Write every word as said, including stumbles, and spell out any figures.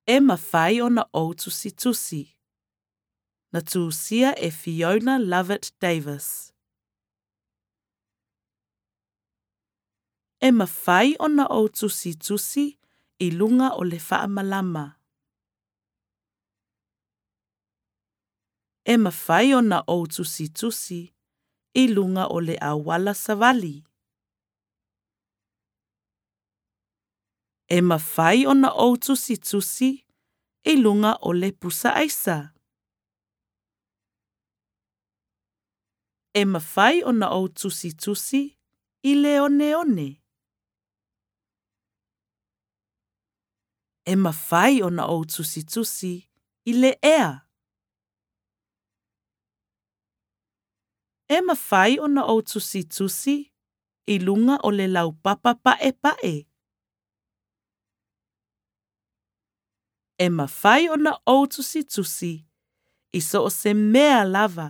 E mafai ona ou tusitusi. Na tusia e Fiona Lovett Davis. E mafai ona ou tusitusi i lunga o le faamalama. E mafai ona ou tusitusi i lunga o le auala savali. E mafai ona ou tusitusi i lunga o le pusa aisa. E mafai ona ou tusitusi i le oneone. E mafai ona ou tusitusi i le ea. E mafai ona ou tusitusi i lunga o le laupapa pa'epa'e. E mafai ona ou tusitusi i so o se mea lava.